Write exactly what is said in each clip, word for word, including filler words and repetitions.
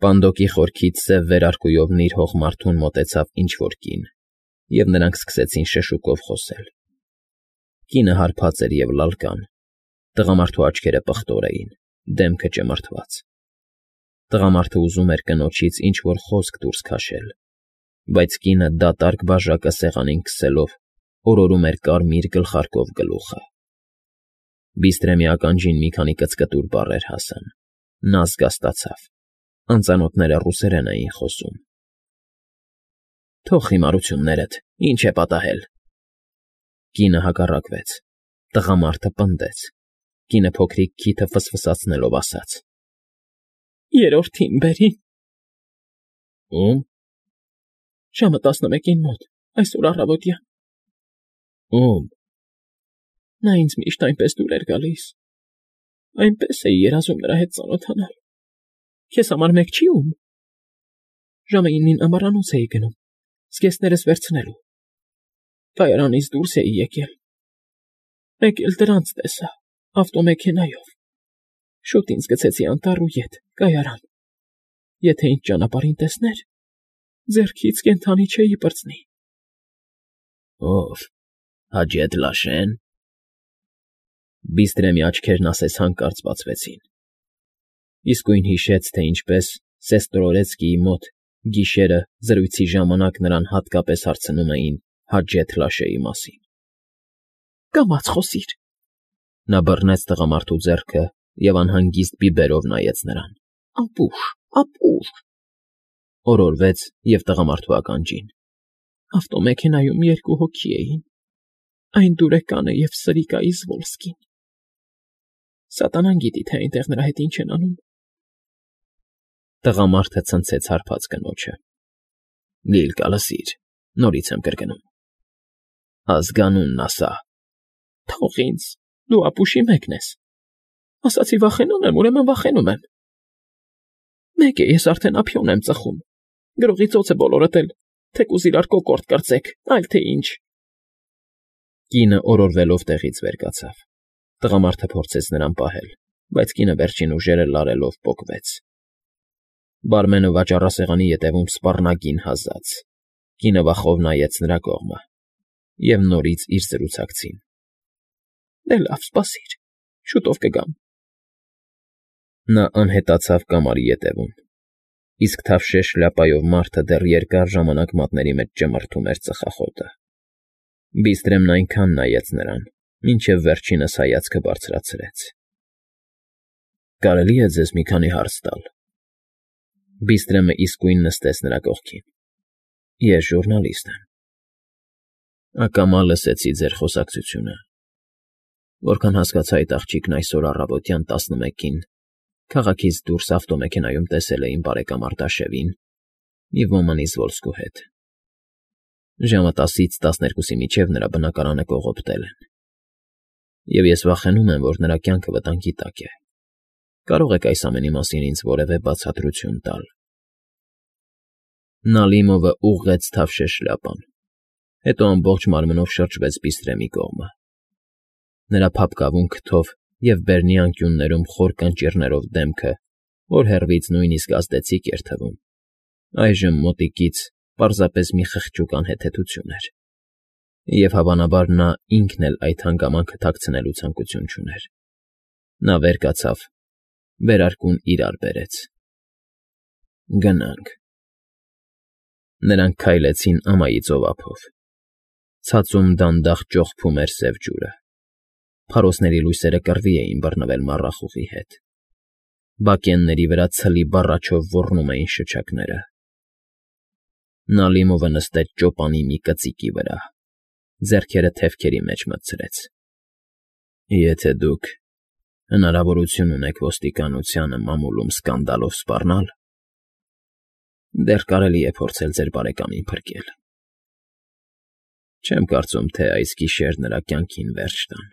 Պանդոկի խորքից սև վերարկուով նիր հողմարդուն մոտեցավ ինչ֊որ կին, և նրանք սկսեցին շշուկով խոսել. կինը հարբած էր և լալկան, տղամարդու աչքերը պղտոր էին, դեմքը ճմրթված. տղամարդը ուզում էր կնոջից ինչ֊որ խոսք դուրս քաշել, բայց կինը դատարկ բաժակը սեղանին քսելով օրորում էր կարմիր գլխարկով գլուխը։ Բիստրեմի ականջին մի քանի կծկտուր բառեր հասան, նա զգաստացավ. անծանոթները ռուսերեն էին խոսում։ Թող խիմարություններդ, ինչ է պատահել։ Կինը հակառակվեց, տղամարդը պնդեց, կինը փոքրիկ քիթը ֆսֆսացնելով ասաց. Երրորդին բերին։ Ո՞ւմ։ Ժամը տասնմեկին մոտ, այսօր առավոտյան։ Ո՞ւմ։ Նա ինձ միշտ այնպես դուր էր գալիս, այնպես էի երազում նրա հետ ծանոթանալ։ Քեզ համար մեկ չի ում։ Ժամը ինին ամառանոց էի գնում, զգեստներս վերցնելու։ Կայարանից դուրս էի եկել։ Մեկ էլ դրանց տեսա, ավտոմեքենայով։ Շուտ ինձ գցեցի անտառ ու ետ, կայարան։ Եթե ինձ ճանապարհին տեսներ, ձեռքից կենդանի չէի պրծնի։ Ո՞վ, Հաջեթ Լաշե՞ն։ Բիստրեմի աչքերն ասես հանկարծ բացվեցին։ Իսկույն հիշեց, թե ինչպես Սեստրորեցկիի մոտ գիշերը զրույցի ժամանակ նրան հատկապես հարցնում էին Հաջեթ Լաշեի մասին։ Կամաց խոսիր։ Նա բռնեց տղամարդու ձեռքը և անհանգիստ բիբերով նայեց նրան։ Ապուշ, ապուշ։ Օրորվեց և տղամարդու ականջին։ Ավտոմեքենայում երկու հոգի էին, այն դուրեկանը և Սրիկա Իզվոլսկին։ Սատանան գիտի, թե այնտեղ նրա հետ ինչ են անում։ Տղամարդը ցնցեց հարբած կնոջը։ Լիլկա, լսիր, նորից եմ կրկնում։ Ազգանունն ասա։ Թող ինձ, դու ապուշի մեկն ես։ Ասացի վախենում եմ, ուրեմն վախենում եմ։ Մեկ է, ես արդեն ափիոն եմ ծխում, գրողի ծոց է բոլորդ էլ, թեկուզ իրար կոկորդ կրծեք, այլ թե ինչ։ Կինը օրորվելով տեղից վեր կացավ։ Տղամարդը փորձեց նրան պահել, բայց կինը վերջին ուժերը լարելով պոկվեց։ Բարմենը վաճառասեղանի ետևում սպառնագին հազաց։ Կինը վախով նայեց նրա կողմը, և նորից իր զրուցակցին։ Դե լավ, սպասիր, շուտով կգամ։ Նա անհետացավ կամարի ետևում, իսկ թավշե շլյապայով մարդը դեռ երկար ժամանակ մատների մեջ ճմրթում էր ծխախոտը։ Բիստրեմն այնքան նայեց նրան, մինչև վերջինս հայացքը բարձրացրեց։ Կարելի է ձեզ մի քանի հարց տալ։ Բիստրեմը իսկույն նստեց նրա կողքին։ Ես ժուռնալիստ եմ։ Ակամա լսեցի ձեր խոսակցությունը։ Որքան հասկացա, այդ աղջիկն այսօր առավոտյան տասնմեկին քաղաքից դուրս ավտոմեքենայում տեսել է իմ բարեկամ Արտաշևին և ոման Իզվոլսկու հետ։ Ժամը տասից տասներկուսի միջև նրա բնակարանը կողոպտել են։ Եվ ես վախենում եմ, որ նրա կյանքը վտանգի տակ է։ Կարող եք այս ամենի մասին ինձ որևէ բացատրություն տալ։ Նալիմովը ուղղեց թավշե շլյապան, հետո ամբողջ մարմնով շրջվեց Բիստրեմի կողմը։ Նրա փափկավուն քթով և բերնի անկյուններում խոր կանճիռներով դեմքը, որ հեռվից նույնիսկ ազդեցիկ էր թվում, այժմ մոտիկից պարզապես մի խղճուկ անհեթեթություն էր։ Եվ հավանաբար նա ինքն էլ այդ հանգամանքը թաքցնելու ցանկություն չուներ։ Նա վեր կացավ, վերարկուն իրար բերեց։ Գնանք։ Նրանք քայլեցին ամայի ծովափով։ Ցածում դանդաղ ճոխփում էր սև ջուրը։ Փարոսների լույսերը կռվի էին բռնվել մառախուղի հետ։ Բակենների վրա ցլի բառաչով ոռնում էին շչակները։ Նալիմովը նստեց ճոպանի մի կծիկի վրա, ձեռքերը թևքերի մեջ մտցրեց։ Եթե դուք հնարավորություն ունեք ոստիկանությանը մամուլում սկանդալով սպառնալ, դեռ կարելի է փորձել ձեր բարեկամին փրկել։ Չեմ կարծում, թե այս գիշեր նրա կյանքին վերջ տան։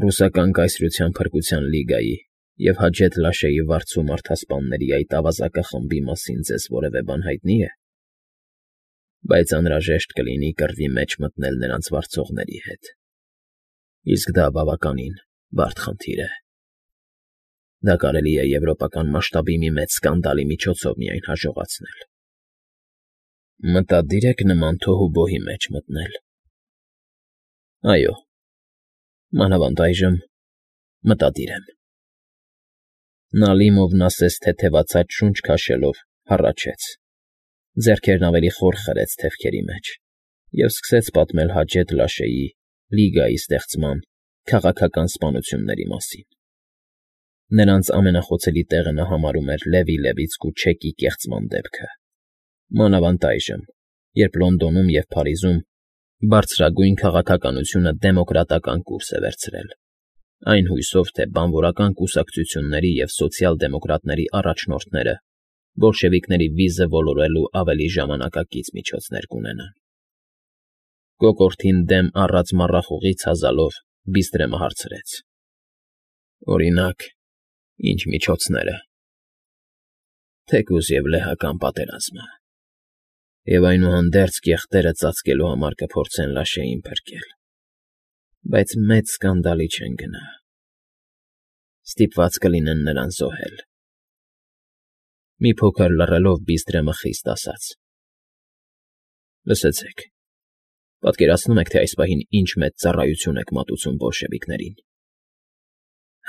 Ռուսական կայսրության փրկության լիգայի և Հաջեթ Լաշեի վարձու մարդասպանների այդ ավազակախմբի մասին ձեզ որևէ բան հայտնի է, բայց անհրաժեշտ կլինի կռվի մեջ մտնել նրանց վարձողների հետ, իսկ դա բավականին բարդ խնդիր է։ Դա կարելի է եվրոպական մասշտաբի մի մեծ սկանդալի միջոցով միայն հաջողացնել։ Մտադիր եք նման թոհուբոհի մեջ մտնել։ Այո, մանավանդ այժմ մտադիր եմ։ Նալիմովն ասես թեթևացած շունչ քաշելով հառաչեց, ձեռքերն ավելի խոր խրեց թևքերի մեջ և սկսեց պատմել Հաջեթ Լաշեի Լիգայի ստեղծման քաղաքական սպանությունների մասին։ Նրանց ամենախոցելի տեղը նա համարում էր Լևի Լևիցկու չեկի կեղծման դեպքը, մանավանդ այժմ, երբ Լոնդոնում և Փարիզում բարձրագույն քաղաքականությունը դեմոկրատական կուրս է վերցրել, այն հույսով, թե բանվորական կուսակցությունների և սոցիալ֊դեմոկրատների առաջնորդները բոլշևիկների վիզը ոլորելու ավելի ժամանակակից միջոցներ կունենան։ Կոկորդին դեմ առած մառախուղից հազալով Բիստրեմը հարցրեց. Օրինակ, ի՞նչ միջոցները։ Թեկուզ և լեհական պատերազմը, և այնուհանդերձ կեղտերը ծածկելու համար կփորձեն Լաշեին փրկել, բայց մեծ սկանդալի չեն գնա, ստիպված կլինեն նրան զոհել։ Մի փոքր լռելով Բիստրեմը խիստ ասաց. Լսեցեք, պատկերացնո՞ւմ եք, թե այս պահին ինչ մեծ ծառայություն եք մատուցում բոլշևիկներին։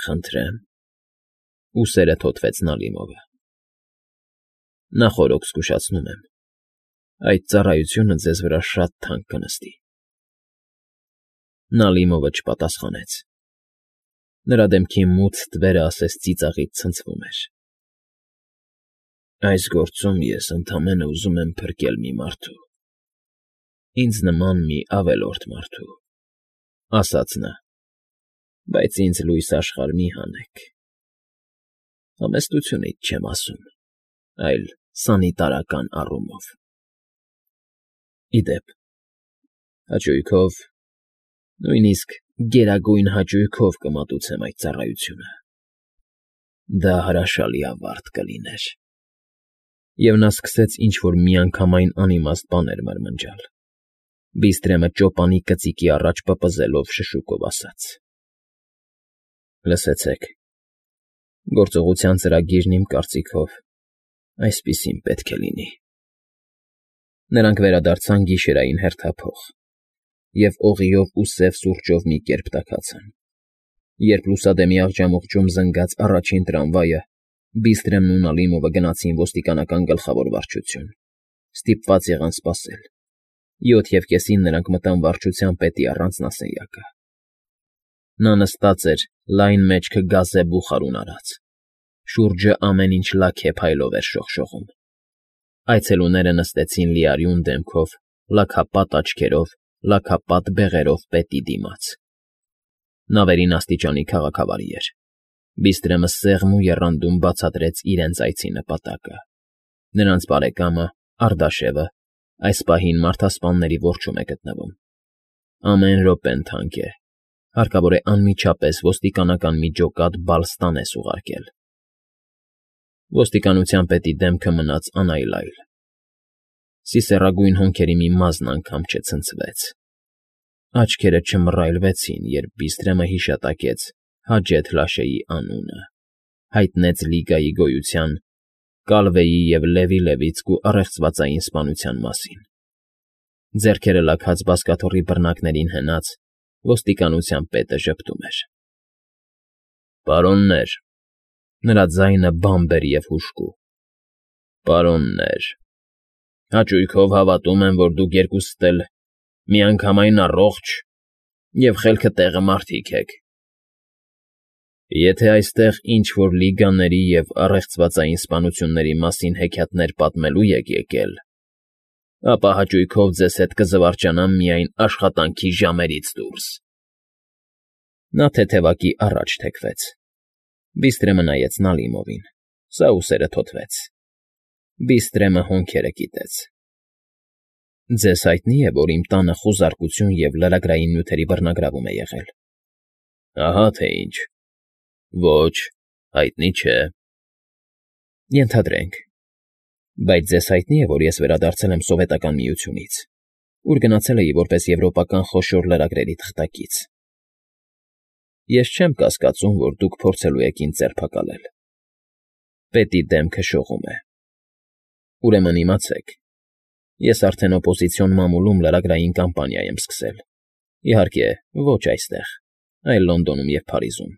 Խնդրեմ, ուսերը թոթվեց Նալիմովը։ Նախօրոք զգուշացնում եմ, այդ ծառայությունը ձեզ վրա շատ թանկ կնստի։ Նալիմովը չպատասխանեց։ Նրա դեմքի մութ թվերը ասես ծիծաղից ցնցվում էր։ Այս գործում ես ընդամենը ուզում եմ փրկել մի մարդու, ինձ նման մի ավելորդ մարդու, ասաց նա, բայց ինձ լույս աշխարհ մի հանեք։ Համեստությունից չեմ ասում, այլ սանիտարական առումով։ Ի դեպ, հաճույքով, նույնիսկ գերագույն հաճույքով կմատուցեմ այդ ծառայությունը։ Դա հրաշալի ավարտ կլիներ։ Եվ նա սկսեց ինչ֊որ միանգամայն անիմաստ բաներ մրմնջալ։ Բիստրեմը ճոպանի կծիկի առաջ պպզելով շշուկով ասաց. Լսեցեք, գործողության ծրագիրն իմ կարծիքով այսպիսին պետք է լինի։ Նրանք վերադարձան գիշերային հերթափոխ և օղիով ու սև սուրճով մի կերպ տաքացան։ Երբ լուսադեմի աղջամուղջում զնգաց առաջին տրամվայը, Բիստրեմն ու Նալիմովը գնացին ոստիկանական գլխավոր վարչություն, ստիպված եղան սպասել։ Յոթ և կեսին նրանք մտան վարչության պետի առանձնասենյակը։ Նա նստած էր լայն մեջքը գազե բուխարուն արած։ Շուրջը ամեն ինչ լաքեփայլով էր շողշողում։ Այցելուները նստեցին լիարյուն դեմքով, լաքապատ աչքերով, լաքապատ բեղերով պետի դիմաց։ Նա վերին աստիճանի քաղաքավարի էր։ Բիստրեմը սեղմ ու եռանդուն բացատրեց իրենց այցի նպատակը։ Նրանց բարեկամը՝ Արդաշևը, այս պահին մարդասպանների որջում է գտնվում։ Ամեն րոպեն թանկ է, հարկավոր է անմիջապես ոստիկանական մի ջոկատ բալ ստանես ուղարկել։ Ոստիկանության պետի դեմքը մնաց անայլայլ։ Սիսեռագույն հոնքերի մի մազն անգամ չցնցվեց։ Աչքերը չմռայլվեցին, երբ Բիստրեմը հիշատակեց Հաջեթ Լաշեի անունը, հայտնեց Լիգայի գոյության, Կալվեի և Լևի Լևիցկու առեղծվածային սպանության մասին։ Ձեռքերը լաքած բազկաթոռի բռնակներին հենած, ոստիկանության պետը ժպտում էր։ Պարոններ, նրա ձայնը բամբեր և հուժկու։ Պարոններ, հաճույքով հավատում եմ, որ դուք երկուսդ էլ միանգամայն առողջ և խելքը տեղը մարդիկ եք։ Եթե այստեղ ինչ֊որ լիգաների և առեղծվածային սպանությունների մասին հեքիաթներ պատմելու եք եկել, ապա հաճույքով ձեզ հետ կզվարճանամ միայն աշխատանքի ժամերից դուրս։ Նա թեթևակի առաջ թեքվեց։ Բիստրեմը նայեց Նալիմովին, սա ուսերը թոթվեց։ Բիստրեմը հոնքերը կիտեց։ Ձեզ հայտնի է, որ իմ տանը խուզարկություն և լրագրային նյութերի բռնագրավում է եղել։ Ահա թե ինչ։ Ոչ, հայտնի չէ։ Ենթադրենք։ Բայց ձեզ հայտնի է, որ ես վերադարձել եմ Սովետական Միությունից, ուր գնացել էի որպես եվրոպական խոշոր լրագրերի թղթակից։ Ես չեմ կասկածում, որ դուք փորձելու եք ինձ ձերբակալել։ Պետի դեմքը շողում է։ Ուրեմն իմացեք, ես արդեն օպոզիցիոն մամուլում լրագրային կամպանիա եմ սկսել, իհարկե, ոչ այստեղ, այլ Լոնդոնում և Փարիզում։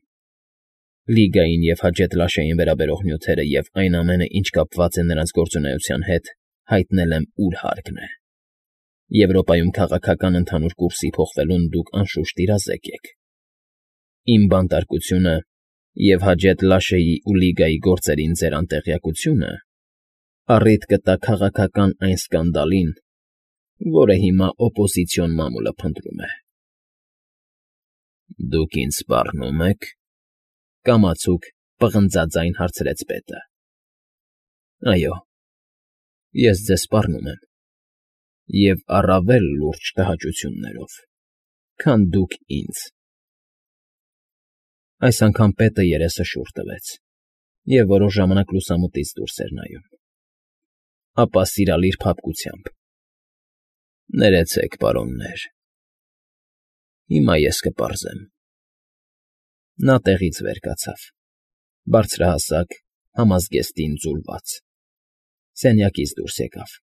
Լիգային և Հաջեթ֊Լաշեին վերաբերող նյութերը և այն ամենը, ինչ կապված է նրանց գործունեության հետ, հայտնել եմ ուր հարկն է։ Եվրոպայում քաղաքական ընդհանուր կուրսի փոխվելուն դուք անշուշտ իրազեկ եք։ Իմ բանտարկությունը և Հաջեթ֊Լաշեի ու Լիգայի գործերին ձեր անտեղյակությունը առիթ կտա քաղաքական այն սկանդալին, որը հիմա օպոզիցիոն մամուլը փնտրում է։ ֊ Դուք ինձ սպառնո՞ւմ եք,֊ կամացուկ պղնձաձայն հարցրեց պետը։ ֊ Այո, ես ձեզ սպառնում եմ, և առավել լուրջ տհաճություններով, քան դուք ինձ… Այս անգամ պետը երեսը շուռ տվեց և որոշ ժամանակ լուսամուտից դուրս էր նայում, ապա սիրալիր փափկությամբ. ֊ Ներեցեք, պարոններ, հիմա ես կպարզեմ։ Նա տեղից վեր կացավ, բարձրահասակ, համազգեստին ձուլված, սենյակից դուրս եկավ,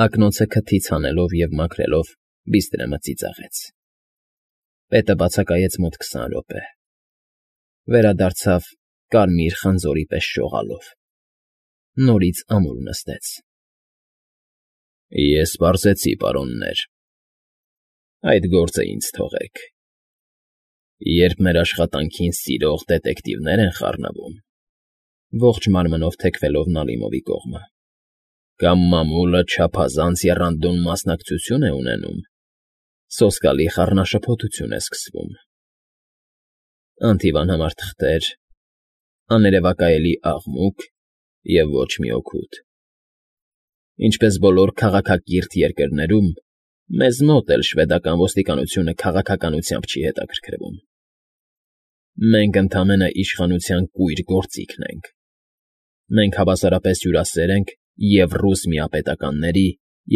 ակնոցը քթից հանելով և մաքրելով բիստրեմը ծիծաղեց։ Պետը բացակայեց մոտ քսան րոպե, վերադարձավ կարմիր խնձորի պես շողալով, նորից ամուր նստեց։ ֊ Ես պարզեցի, պարոններ, այդ գործը ինձ թողեք։ Երբ մեր աշխատանքին սիրող դետեկտիվներ են խառնվում, ողջ մարմնով թեքվելով Նալիմովի կողմը, կամ մամուլը չափազանց եռանդուն մասնակցություն է ունենում, սոսկալի խառնաշփոթություն է սկսվում. անթիվանհամար թղթեր, աներևակայելի աղմուկ և ոչ մի օգուտ։ Ինչպես բոլոր քաղաքակիրթ երկրներում, մեզ մոտ էլ շվեդական ոստիկանությունը քաղաքականությամբ չի հետաքրքրվում։ Մենք ընդամենը իշխանության կույր գործիքն ենք։ Մենք հավասարապես հյուրասեր ենք և՛ ռուս միապետականների,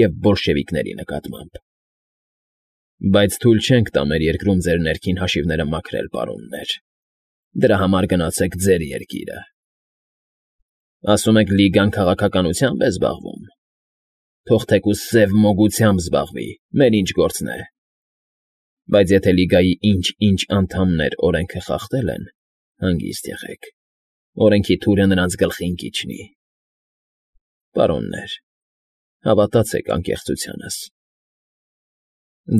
և՛ բոլշևիկների նկատմամբ։ Բայց թույլ չենք տա մեր երկրում ձեր ներքին հաշիվները մաքրել, պարոններ, դրա համար գնացեք ձեր երկիրը։ Ասում եք Լիգան քաղաքականությա՞մբ է զբաղվում։ Թող թեկուզ սև մոգությամբ զբաղվի, մեր ինչ գործն է։ Բայց եթե Լիգայի ինչ֊ինչ անդամներ օրենքը խախտել են, հանգիստ եղեք, օրենքի թուրը նրանց գլխին կիջնի։ Պարոններ, հավատացեք անկեղծությանս։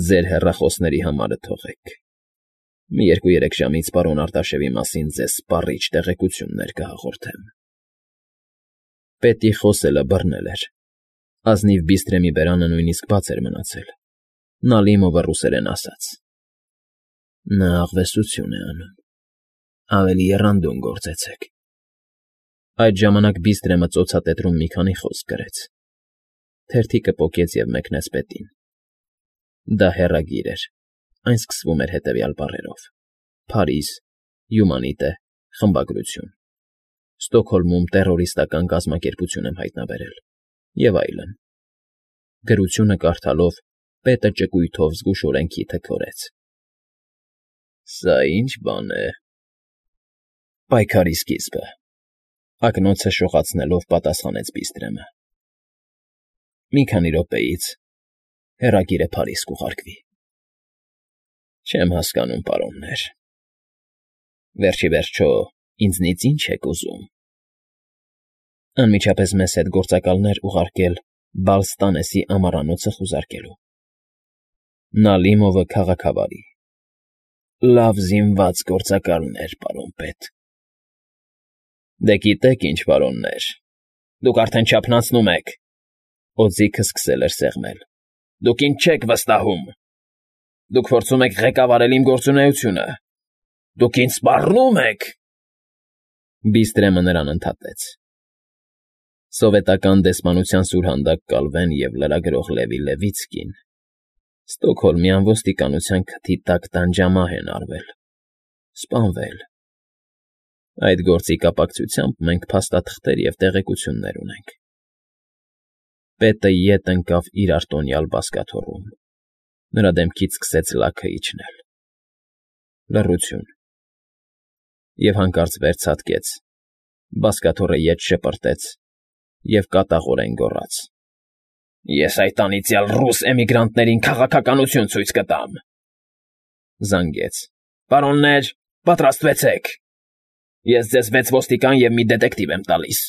Ձեր հեռախոսների համարը թողեք, մի երկու֊երեք ժամից պարոն Արտաշեսի մասին ձեզ սպառիչ տեղեկություններ կհաղորդեմ։ Պետի խոսելը բռնել էր, ազնիվ բիստրեմի բերանը նույնիսկ բաց էր մնացել, Նալիմովը ռուսերեն ասաց. ֊ Նա աղվեսություն է անում, ավելի եռանդուն գործեցեք։ Այդ ժամանակ բիստրեմը ծոցատետրում մի քանի խոսք գրեց, թերթիկը պոկեց և մեկնեց պետին։ Դա հեռագիր էր, այն սկսվում էր հետևյալ բառերով. «Փարիզ, Յումանիտե, խմբագրություն, Ստոկհոլմում տեռորիստական կազմակերպություն եմ հայտնաբերել» և այլն։ Գրությունը կարդալով պետը ճկույթով զգուշորեն քիթը քորեց։ ֊ Սա ի՞նչ բան է,֊ Պայքարի սկիզբը,֊ ակնոցը շողացնելով պատասխանեց բիստրեմը։ ֊ Մի քանի րոպեից հեռագիրը Փարիզ կուղարկվի։ ֊ Չեմ հասկանում, պարոններ, վերջ ի վերջո ինձնից ի՞նչ եք ուզում։ ֊ Անմիջապես մեզ հետ գործակալներ ուղարկել Բալստանեսի ամառանոցը խուզարկելու։ Նալիմովը քաղաքավարի. Լավ զինված գործակալներ, պարոն պետ։ ֊ Դե գիտեք ինչ, պարոններ, դուք արդեն չափնացնում եք,֊ օձիքը սկսել էր սեղմել,֊ դուք ինձ չեք վստահում։ Դուք փորձում եք ղեկավարել իմ գործունեությունը։ Դուք ինձ սպառնո՞ւմ եք։ Բիստրեմը նրան ընդհատեց։ Սովետական դեսպանության սուրհանդակ Կալվեն և լրագրող Լևի Լևիցկին Ստոկհոլմյան ոստիկանության քթի տակ տանջամահ են արվել, սպանվել։ Այդ գործի կապակցությամբ մենք փաստաթղթեր և տեղեկություններ ունենք։ Պետը ետ ընկավ իր արտոնյալ բազկաթոռում, նրա դեմքից սկսեց լաքը իջնել։ Լռություն։ Եվ հանկարծ վերջացկեց, բազկաթոռը ետ շպրտեց և կատաղորեն գոռաց. ֊ Ես այդ անիծյալ ռուս էմիգրանտներին քաղաքականություն ցույց կտամ… Զանգեց. Պարոննե՛ր, պատրաստվեցեք… Ես ձեզ վեց ոստիկան և մի դետեկտիվ եմ տալիս։